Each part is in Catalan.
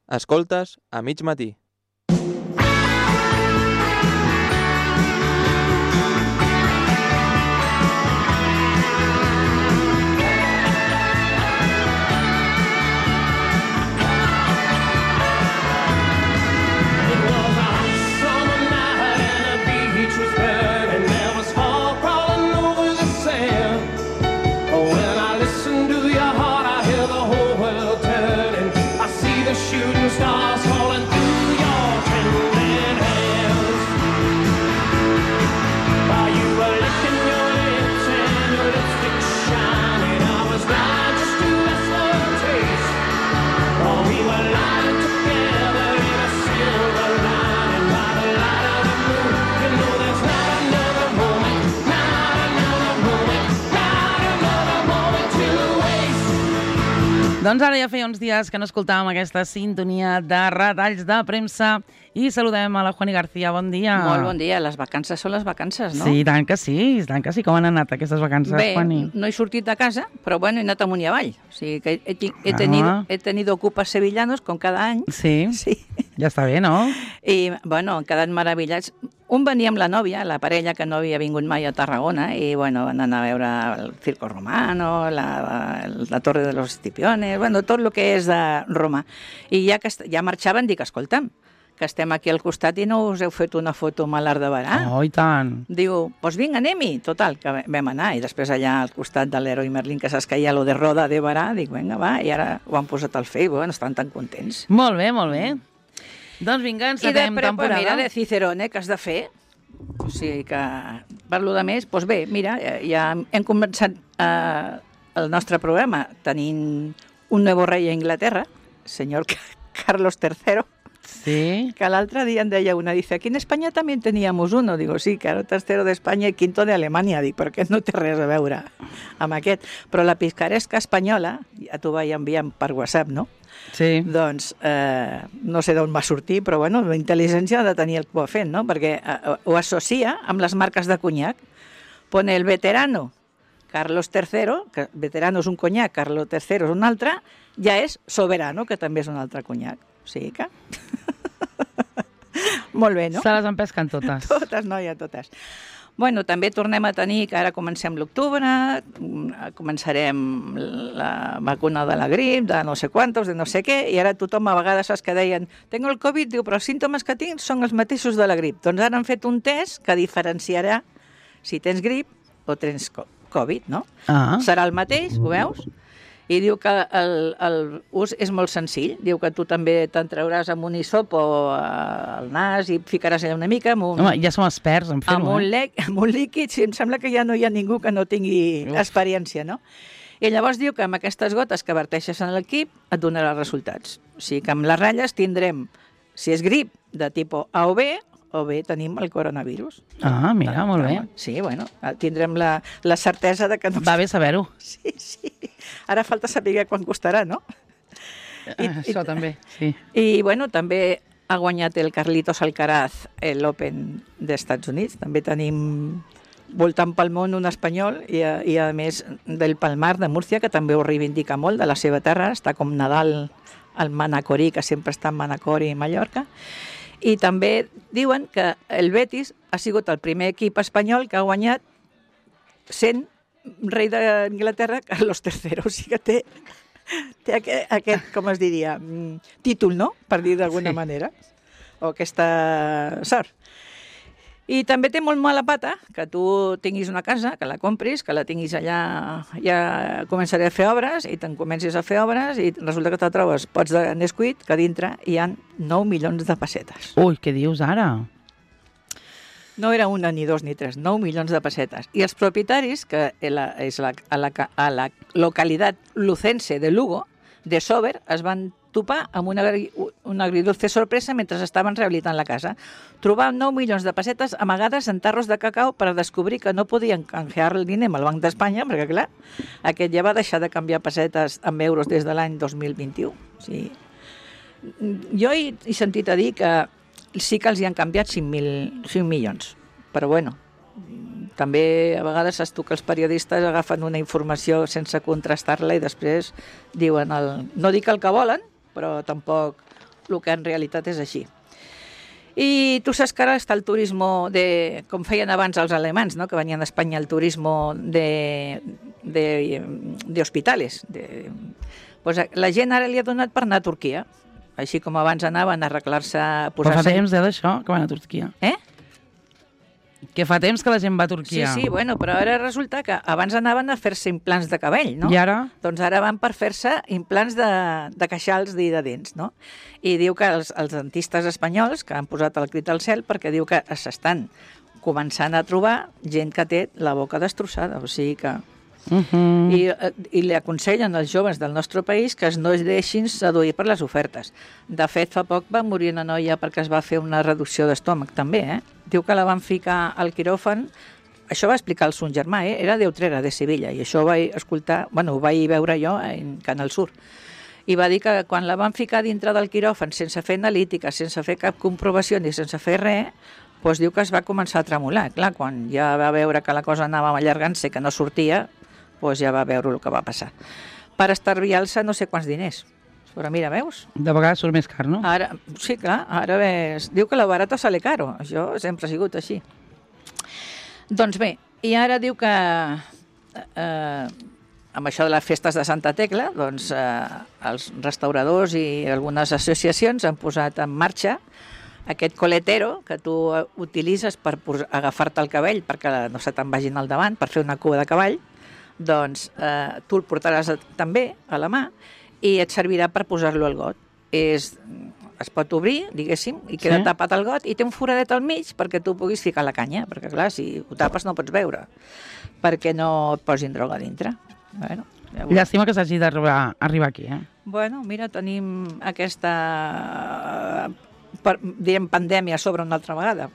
Escoltes a mig matí. Doncs ara ja feia uns dies que no escoltàvem aquesta sintonia de retalls de premsa i saludem a la Juani García. Bon dia. Molt bon dia. Les vacances són les vacances, no? Sí, tant que sí, tant que sí. Com han anat aquestes vacances, Juani? Bé, no he sortit de casa, però bueno, he anat amunt i avall. O sigui que he tenido ocupes sevillanos com cada any. Sí, sí. Ja està bé, no? I, bueno, han quedat meravellats. Un venia amb la nòvia, la parella que no havia vingut mai a Tarragona, i bueno, van anar a veure el Circo Romano, la Torre de los Escipiones, bueno, tot el que és de Roma. I ja marxaven, dic, escolta'm, que estem aquí al costat i no us heu fet una foto amb l'Arc de Berà? Oh, i tant. Diu, doncs vinga, anem-hi. Total, que vam anar, i després allà al costat de l'Heroi Merlin, que saps que hi ha lo de Roda de Berà, dic, vinga, va, i ara ho han posat al Facebook, bueno, estan tan contents. Molt bé, molt bé. Doncs vinga, encetem temporada. I mira, de Cicerone, que has de fer? O sigui que, per lo de més, doncs bé, mira, ja hem començat el nostre programa tenint un nou rei a Inglaterra, senyor Carlos III, sí, que l'altre dia em deia una, dice, aquí en Espanya també teníamos uno, digo, sí, Carlos III d'Espanya i quinto d'Alemanya, dic, però aquest no té res a veure amb aquest, però la picaresca espanyola, ja t'ho vaig enviar per WhatsApp, no? Sí. Doncs no sé d'on va sortir, però bueno, la intel·ligència ha de tenir el que ho ha fet, no? Perquè ho associa amb les marques de conyac. Pone el veterano Carlos III, que veterano és un conyac, Carlos III és un altre, ja és soberano, que també és un altre conyac. O sigui que... Molt bé, no? Se les empesquen totes. Totes, noia, totes. Bueno, també tornem a tenir, que ara comencem l'octubre, començarem la vacuna de la grip, de no sé quantos, de no sé què, i ara tothom a vegades saps que deien tengo el Covid, diu, però els símptomes que tinc són els mateixos de la grip. Doncs ara han fet un test que diferenciarà si tens grip o tens Covid, no? Ah. Serà el mateix, ho veus? I diu que l'ús és molt senzill. Diu que tu també te'n trauràs amb un hisopo al nas i ficaràs allà una mica amb un... Home, ja som experts en fer-ho, amb un líquid, sí, em sembla que ja no hi ha ningú que no tingui experiència, no? I llavors diu que amb aquestes gotes que verteixes en l'equip et donarà resultats. O sigui que amb les ratlles tindrem, si és grip de tipus A o B tenim el coronavirus. Ah, mira, molt bé. Sí, bueno, tindrem la certesa de que no... Va bé saber-ho. Sí, sí. Ara falta saber quan costarà, no? Això també, sí. I, bueno, també ha guanyat el Carlitos Alcaraz l'Open d'Estats Units. També tenim voltant pel món un espanyol i a més del Palmar de Múrcia, que també ho reivindica molt de la seva terra. Està com Nadal al Manacorí, que sempre està en Manacor i Mallorca. I també diuen que el Betis ha sigut el primer equip espanyol que ha guanyat sent rei d'Anglaterra Carlos III. O sigui que té aquest, com es diria, títol, no?, per dir d'alguna manera, o aquesta sort. I també té molt mala pata que tu tinguis una casa, que la compris, que la tinguis allà, ja començaré a fer obres, i te'n comencis a fer obres, i resulta que te trobes pots de Nesquik, que dintre hi ha 9 milions de pessetes. Ui, què dius ara? No era una, ni dos, ni tres, 9 milions de pessetes. I els propietaris, que és a la localitat lucense de Lugo, de Sober, es van topar amb una agridulce sorpresa mentre estaven rehabilitant la casa. Trobaven 9 milions de pessetes amagades en tarros de cacau per descobrir que no podien canjear el diner amb el Banc d'Espanya, perquè, clar, aquest ja va deixar de canviar pessetes amb euros des de l'any 2021. O sigui, jo he sentit a dir que sí que els hi han canviat 5 milions, però bueno, també a vegades saps tu que els periodistes agafen una informació sense contrastar-la i després diuen no dic el que volen, però tampoc el que en realitat és així. I tu saps que ara està el turisme com feien abans els alemans, no? Que venien a Espanya el turisme d'hospitales. Pues la gent ara li ha donat per anar a Turquia, així com abans anaven a arreglar-se... Però fa temps d'això, que van a Turquia. Que fa temps que la gent va a Turquia. Sí, bueno, però ara resulta que abans anaven a fer-se implants de cabell, no? I ara? Doncs ara van per fer-se implants de queixals i de dents, no? I diu que els dentistes espanyols, que han posat el crit al cel, perquè diu que s'estan començant a trobar gent que té la boca destrossada, o sigui que... I li aconsellen als joves del nostre país que no es deixin seduir per les ofertes. De fet, fa poc va morir una noia perquè es va fer una reducció d'estómac, també, Diu que la van ficar al quiròfan, això va explicar el son germà, era de Utrera, de Sevilla, i això ho vaig escoltar, ho vaig veure jo en Canal Sur. I va dir que quan la van ficar dintre del quiròfan sense fer analítica, sense fer cap comprovació ni sense fer res, doncs diu que es va començar a tremolar. Clar, quan ja va veure que la cosa anava allargant-se, que no sortia, doncs ja va veure el que va passar. Per estalviar-se no sé quants diners. Però mira, veus? De vegades surt més car, no? Ara, sí, clar, ara ves... Diu que la barata sale caro. Això sempre ha sigut així. Doncs bé, i ara diu que amb això de les festes de Santa Tecla, doncs els restauradors i algunes associacions han posat en marxa aquest coletero que tu utilitzes per agafar-te el cabell perquè no se te'n vagin al davant, per fer una cua de cavall, doncs tu el portaràs també a la mà i et servirà per posar-lo al got. Es pot obrir, diguéssim, i queda tapat el got i té un foradet al mig perquè tu puguis ficar la canya, perquè clar, si ho tapes no pots veure, perquè no et posin droga dintre. Bueno, llàstima que s'hagi d'arribar aquí, Bueno, mira, tenim aquesta, direm, pandèmia sobre una altra vegada.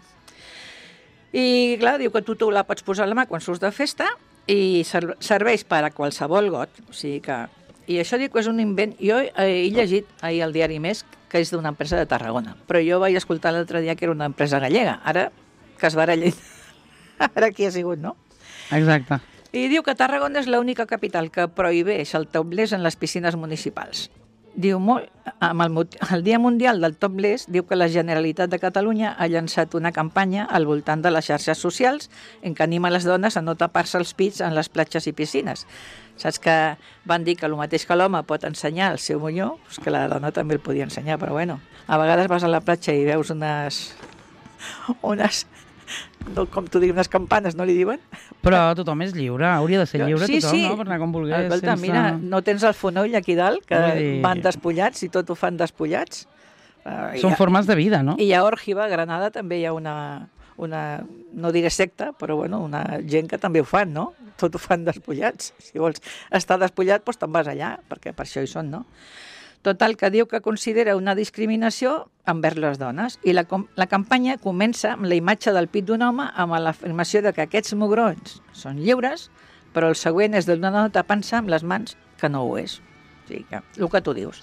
I clar, diu que tu la pots posar a la mà quan surts de festa i serveix per a qualsevol got, o sigui que... I això dic que és un invent... Jo he llegit ahir al diari Més que és d'una empresa de Tarragona, però jo vaig escoltar l'altre dia que era una empresa gallega. Ara que es barallin, ara qui ha sigut, no? Exacte. I diu que Tarragona és l'única capital que prohibeix el topless en les piscines municipals. Diu, amb el Dia Mundial del Topless, diu que la Generalitat de Catalunya ha llançat una campanya al voltant de les xarxes socials en què anima les dones a no tapar-se els pits en les platges i piscines. Saps que van dir que el mateix que l'home pot ensenyar el seu monyó, doncs que la dona també el podia ensenyar, però bueno, a vegades vas a la platja i veus unes com tu dius, unes campanes, no li diuen? Però tothom és lliure, hauria de ser lliure tothom, no? Per anar com volgués. Escolta, mira, no tens el fonoll aquí dalt, que van despullats i tot ho fan despullats? Són formes de vida, no? I a Òrgiva, a Granada, també hi ha una, no diré secta, però bueno, una gent que també ho fan, no? Tot ho fan despullats. Si vols estar despullat, doncs te'n vas allà, perquè per això hi són, no? Total, que diu que considera una discriminació envers les dones. I la campanya comença amb la imatge del pit d'un home amb l'afirmació de que aquests mugrons són lliures, però el següent és d'una dona tapant-se amb les mans que no ho és. O sigui que, el que tu dius.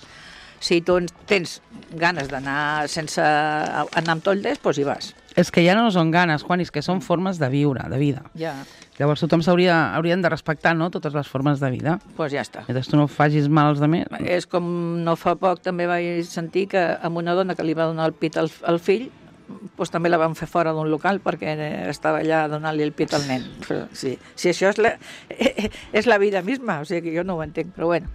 Si tu tens ganes d'anar sense anar amb topless, doncs hi vas. És que ja no són ganes, Juan, és que són formes de viure, de vida. Ja. Llavors tothom haurien de respectar, no?, totes les formes de vida. Doncs ja està. Mentre tu no facis mal als altres. És com no fa poc també vaig sentir que amb una dona que li va donar el pit al fill, doncs també la van fer fora d'un local perquè estava allà donant-li el pit al nen. Sí, això és la vida misma, o sigui que jo no ho entenc, però bueno.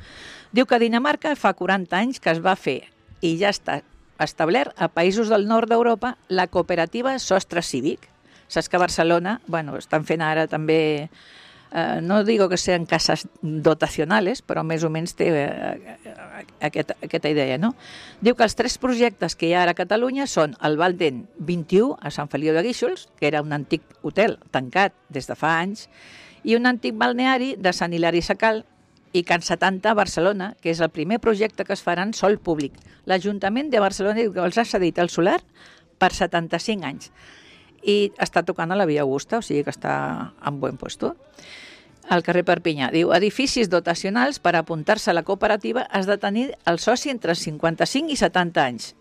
Diu que a Dinamarca fa 40 anys que es va fer i ja està establert a països del nord d'Europa la cooperativa Sostre Cívic. Saps que a Barcelona, estan fent ara també, no digo que sean cases dotacionales, però més o menys té aquesta idea, no? Diu que els 3 projectes que hi ha ara a Catalunya són el Valden 21 a Sant Feliu de Guíxols, que era un antic hotel tancat des de fa anys, i un antic balneari de Sant Hilari Sacalm, i Can 70 a Barcelona, que és el primer projecte que es farà en sòl públic. L'Ajuntament de Barcelona diu que els ha cedit el solar per 75 anys. I està tocant a la Via Augusta, o sigui que està en bon puesto. Al carrer Perpinyà. Diu, edificis dotacionals per apuntar-se a la cooperativa has de tenir el soci entre 55 i 70 anys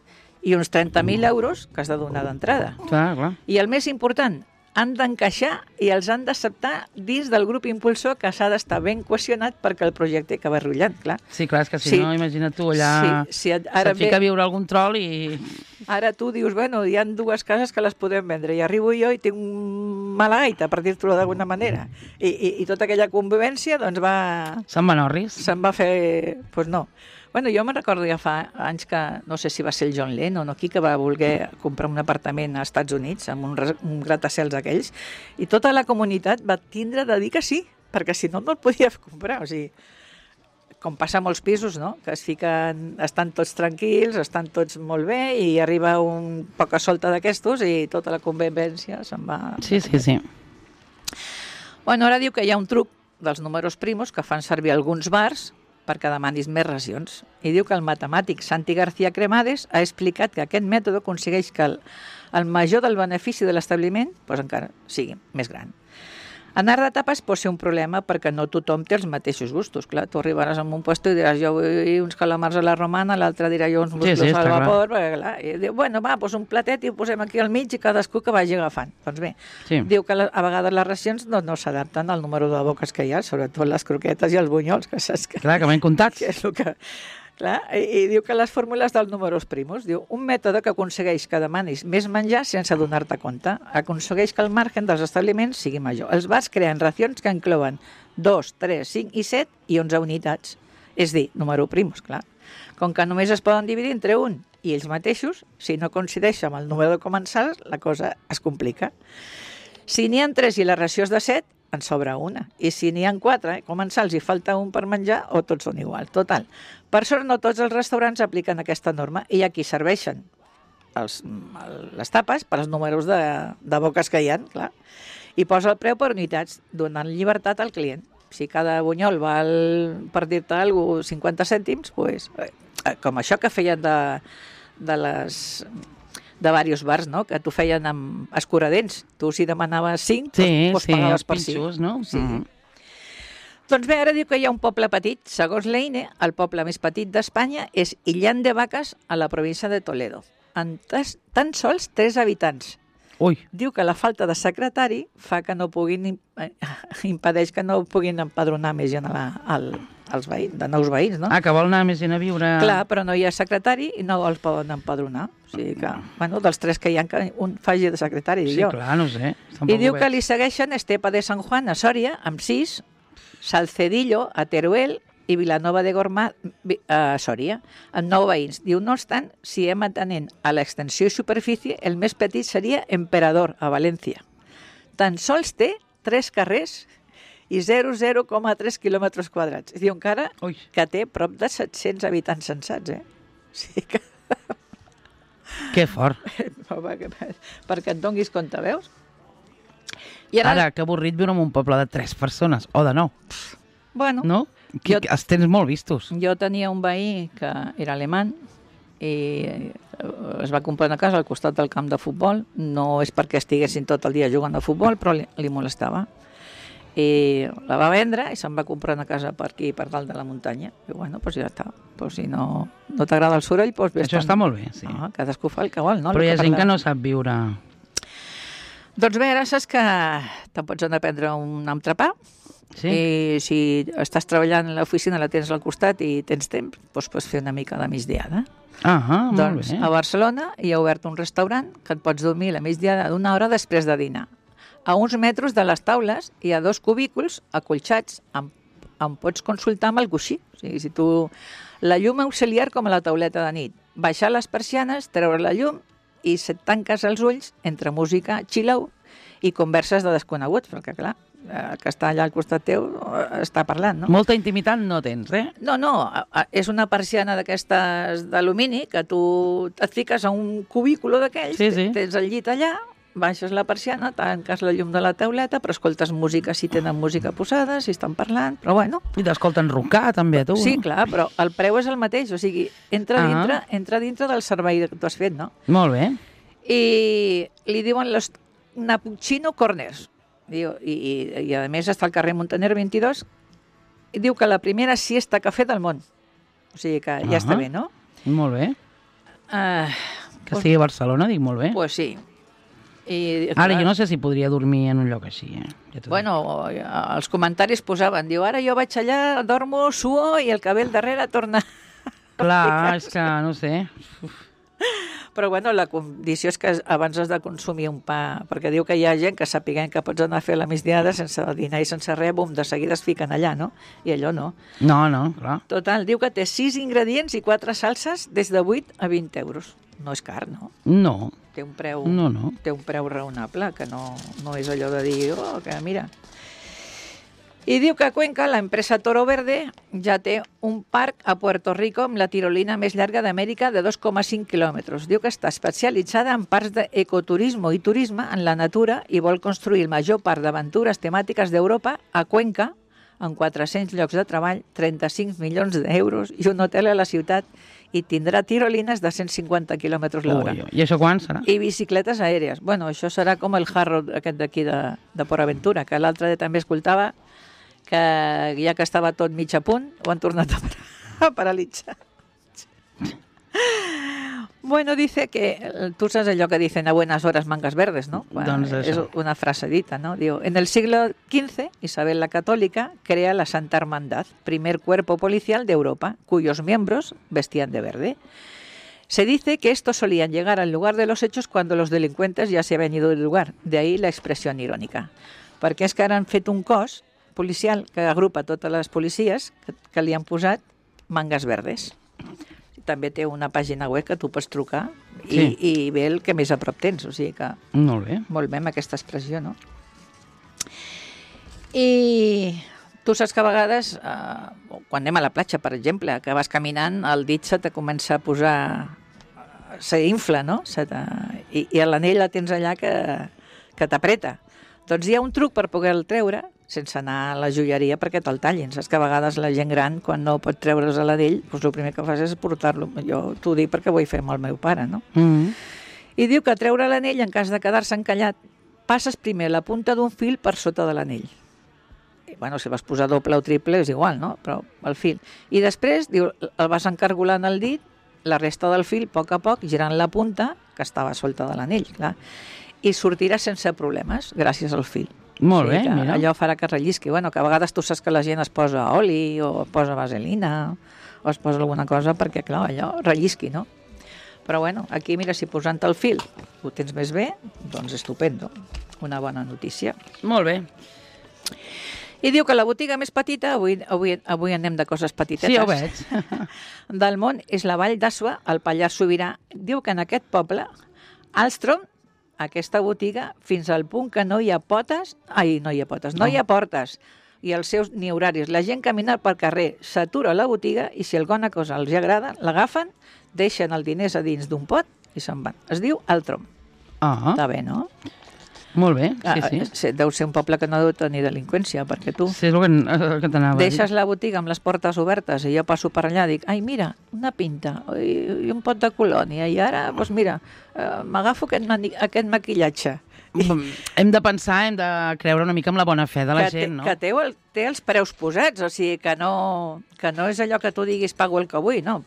i uns 30.000 euros que has de donar d'entrada. Clar. I el més important, han d'encaixar i els han d'acceptar dins del grup impulsor, que s'ha d'estar ben cohesionat perquè el projecte acabi rotllant, clar. Sí, clar, és que si no, imagina't tu allà... Se't fica a viure algun trol i... Ara tu dius, bueno, hi ha dues cases que les podem vendre i arribo jo i tinc un mala gaita, per dir-t'ho d'alguna manera. I tota aquella convivència, doncs va... Se'n van orris. Se'n va fer... Doncs no. Bueno, jo me'n recordo ja fa anys que, no sé si va ser el John Lennon o qui, que va voler comprar un apartament als Estats Units amb un gratacels aquells, i tota la comunitat va tindre de dir que sí, perquè si no, no el podia comprar. O sigui, com passa a molts pisos, no?, que es fiquen, estan tots tranquils, estan tots molt bé, i arriba un poca solta d'aquestos i tota la convivència se'n va... Sí. Bueno, ara diu que hi ha un truc dels números primos que fan servir alguns bars perquè demanis més racions. I diu que el matemàtic Santi García Cremades ha explicat que aquest mètode aconsegueix que el major del benefici de l'establiment encara sigui més gran. Anar de tapes pot ser un problema perquè no tothom té els mateixos gustos. Clar, tu arribaràs a un puesto i diràs jo vull uns calamars a la romana, l'altre dirà jo uns musclos al vapor, perquè clar, i diu, bueno, va, un platet i ho posem aquí al mig i cadascú que vagi agafant. Doncs bé, diu que a vegades les racions no s'adapten al número de boques que hi ha, sobretot les croquetes i els bunyols, que saps que... Clar, que van comptats. Que és el que... Clar, i diu que les fórmules dels números primos, diu, un mètode que aconsegueix que demanis més menjar sense adonar-te compte, aconsegueix que el margen dels establiments sigui major. Els bars creen racions que inclouen 2, 3, 5 i 7 i 11 unitats, és dir, número primos, clar. Com que només es poden dividir entre un i ells mateixos, si no coincideix amb el número de comensals, la cosa es complica. Si n'hi ha 3 i la ració és de 7, en sobra una. I si n'hi ha 4, comensals i falta un per menjar, o tots són igual. Total. Per sort, no tots els restaurants apliquen aquesta norma i aquí serveixen les tapes per als números de boques que hi ha, clar. I posa el preu per unitats, donant llibertat al client. Si cada bunyol val, per dir-te alguna cosa, 50 cèntims, doncs, com això que feien de diversos bars, no?, que t'ho feien amb escuradents. Tu, si demanaves 5, doncs pagaves per 5. Pinxos, no? Sí. Doncs bé, ara diu que hi ha un poble petit. Segons l'EINE, el poble més petit d'Espanya és Illán de Vacas, a la província de Toledo, amb tan sols 3 habitants. Ui. Diu que la falta de secretari fa que no puguin impedeix que no puguin empadronar més gent als veïns, de nous veïns, no? Que vol anar més gent a viure... Clar, però no hi ha secretari i no els poden empadronar. O sigui que, bueno, dels 3 que hi ha, que un faci de secretari. Sí, clar, no sé. I diu que li segueixen Estepa de San Juan, a Sòria, amb 6, Salcedillo, a Teruel, i Vilanova de Gormà, a Sòria, amb 9 veïns. Diu, no obstant, si hem atenent a l'extensió i superfície, el més petit seria Emperador, a València. Tan sols té 3 carrers i 0,3 quilòmetres quadrats. Diu encara que té prop de 700 habitants censats, O sigui que... Que fort. Perquè et donguis compte, veus? I ara, que avorrit viure en un poble de 3 persones, o de 9. Bueno, no? Els tens molt vistos. Jo tenia un veí que era alemany i es va comprar una casa al costat del camp de futbol. No és perquè estiguessin tot el dia jugant a futbol, però li molestava. I la va vendre i se'n va comprar una casa per aquí, per dalt de la muntanya. I bueno, doncs ja està. Doncs si no t'agrada el soroll, doncs Això està molt bé, sí. Cadascú fa el que vol, no? Però hi ha gent que no sap viure... Doncs bé, ara saps que te'n pots anar a prendre un entrepà. Sí. I si estàs treballant a l'oficina, la tens al costat i tens temps, doncs pots fer una mica de migdiada. Molt bé. A Barcelona hi ha obert un restaurant que et pots dormir la migdiada d'una hora després de dinar. A uns metres de les taules hi ha 2 cubículs acolxats on pots consultar amb el coixí. O sigui, si tu... La llum auxiliar com a la tauleta de nit. Baixar les persianes, treure la llum i se't tanques els ulls entre música chill-out i converses de desconeguts, perquè clar, el que està allà al costat teu està parlant, no? Molta intimitat no tens, No, és una persiana d'aquestes d'alumini que tu et fiques a un cubículo d'aquells, tens el llit allà, baixes la persiana, tanques la llum de la tauleta, però escoltes música si tenen música posada, si estan parlant, però bueno. I t'escolten roncar també a tu. Sí, clar, però el preu és el mateix, o sigui, entra dintre del servei que tu has fet, no? Molt bé. I li diuen los Napuccino Corners. I a més està al carrer Montaner 22 i diu que la primera siesta cafè del món. O sigui que ja està bé, no? Molt bé. Que sigui a Barcelona, dic molt bé. Pues sí. I, Ara, jo no sé si podria dormir en un lloc així, Ja t'ho dic. Bueno, els comentaris posaven, diu, ara jo vaig allà, dormo, suo i el cabell darrere torna... Clar, és que no sé. Però bueno, la condició és que abans has de consumir un pa, perquè diu que hi ha gent que sapiguem que pots anar a fer la migdiada sense dinar i sense res, bum, de seguida es fiquen allà, no? I allò no. No, clar. Total, diu que té 6 ingredients i 4 salses des de 8 a 20 euros. No és car, no? No, Té un preu, no. té un preu raonable, que no és allò de dir, oh, que mira... I diu que a Cuenca l'empresa Toro Verde ja té un parc a Puerto Rico amb la tirolina més llarga d'Amèrica de 2,5 quilòmetres. Diu que està especialitzada en parts d'ecoturisme i turisme en la natura i vol construir el major parc d'aventures temàtiques d'Europa a Cuenca, amb 400 llocs de treball, 35 milions d'euros i un hotel a la ciutat, i tindrà tirolines de 150 quilòmetres l'hora. Ui, i això quan serà? I bicicletes aèries. Bueno, això serà com el Hard Rock aquest d'aquí de Port Aventura, que l'altre dia també escoltava que ja que estava tot mig a punt, ho han tornat a paralitzar. Bueno, dice que, tú sabes allò que dicen a buenas horas mangas verdes, ¿no? Doncs es això. una frase dita, ¿no? Digo, en el siglo XV, Isabel la Católica crea la Santa Hermandad, primer cuerpo policial de Europa, cuyos miembros vestían de verde. Se dice que estos solían llegar al lugar de los hechos cuando los delincuentes ya se habían ido del lugar, de ahí la expressió irónica. Perquè és que ara han fet un cos policial que agrupa totes les policies que li han posat mangas verdes. També té una pàgina web que tu pots trucar i ve el que més a prop tens, o sigui que Molt bé. molt bé amb aquesta expressió, no? I tu saps que a vegades, quan anem a la platja, per exemple, que vas caminant, el dit se te comença a posar, s'infla, no? I l'anell la tens allà que t'apreta. Doncs hi ha un truc per poder-el treure sense anar a la joieria perquè te'l tallin. Saps que a vegades la gent gran, quan no pot treure's l'anell, doncs el primer que fas és portar-lo. Jo t'ho dic perquè ho vull fer amb el meu pare, no? I diu que treure l'anell, en cas de quedar-se encallat, passes primer la punta d'un fil per sota de l'anell. I, bueno, si vas posar doble o triple és igual, no? Però el fil. I després, diu, el vas encargolant el dit, la resta del fil, a poc, girant la punta, que estava solta de l'anell, clar, i sortirà sense problemes, gràcies al fil. Molt bé, mira. Allò farà que rellisqui. Bueno, que a vegades tu saps que la gent es posa oli o posa vaselina o es posa alguna cosa perquè, clar, allò rellisqui, no? Però bueno, aquí, mira, si posant el fil ho tens més bé, doncs estupendo. Una bona notícia. Molt bé. I diu que la botiga més petita, avui anem de coses petitetes, Sí, ho veig. del món és la Vall d'Asua, al Pallars Sobirà. Diu que en aquest poble, Alstrom, aquesta botiga, fins al punt que no hi ha portes, i els seus ni horaris. La gent camina pel carrer, s'atura a la botiga i si alguna cosa els agrada, l'agafen, deixen els diners a dins d'un pot i se'n van. Es diu Altrom. Està bé, no? Molt bé, sí. Deu ser un poble que no deu tenir delinqüència, perquè tu Sí, és el que t'anava a dir. deixes la botiga amb les portes obertes i jo passo per allà i dic, ai, mira, una pinta i un pot de colònia i ara, doncs mira, m'agafo aquest maquillatge. Hem de pensar, hem de creure una mica amb la bona fe de la gent, no? Que té els preus posats, o sigui, que no és allò que tu diguis pago el que vull, no.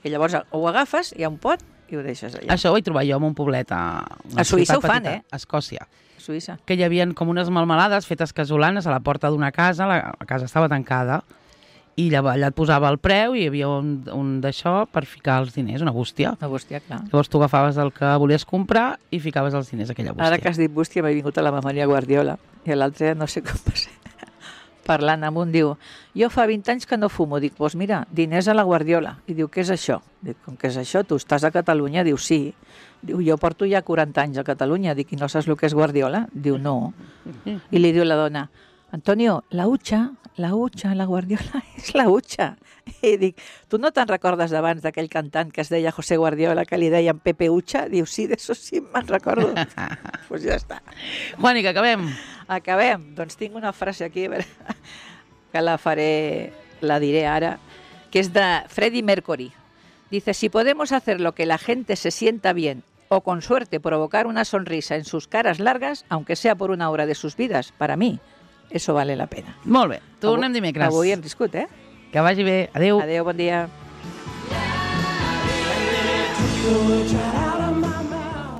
I llavors ho agafes, hi ha un pot i ho deixes allà. Això ho vaig trobar jo en un poblet a Suïssa ho fan, a Escòcia. A Suïssa. Que hi havia com unes melmelades fetes casolanes a la porta d'una casa, la casa estava tancada, i allà et posava el preu i hi havia un d'això per ficar els diners, una bústia. Una bústia, clar. Llavors tu agafaves el que volies comprar i ficaves els diners a aquella bústia. Ara que has dit bústia m'ha vingut a la memòria Guardiola i l'altre no sé com va ser. Parlant amb un, diu, jo fa 20 anys que no fumo. Dic, doncs mira, diners a la Guardiola. I diu, què és això? Dic, com que és això? Tu estàs a Catalunya? Diu, sí. Diu, jo porto ja 40 anys a Catalunya. Dic, i no saps el que és Guardiola? Diu, no. I li diu la dona, Antonio, la hucha, la Guardiola és la hucha. I dic, tu no te'n recordes d'abans d'aquell cantant que es deia José Guardiola, que li deien Pepe Hucha? Diu, sí, d'això sí me'n recordo. Doncs ja està. Juani, que acabem. Acabem. Doncs tinc una frase aquí, a veure, que la diré ara, que es de Freddie Mercury. Dice, si podemos hacer lo que la gente se sienta bien o con suerte provocar una sonrisa en sus caras largas, aunque sea por una hora de sus vidas, para mí, eso vale la pena. Molt bé. Tornem dimecres. Avui hem viscut, eh? Que vagi bé. Adéu. Adéu, bon dia.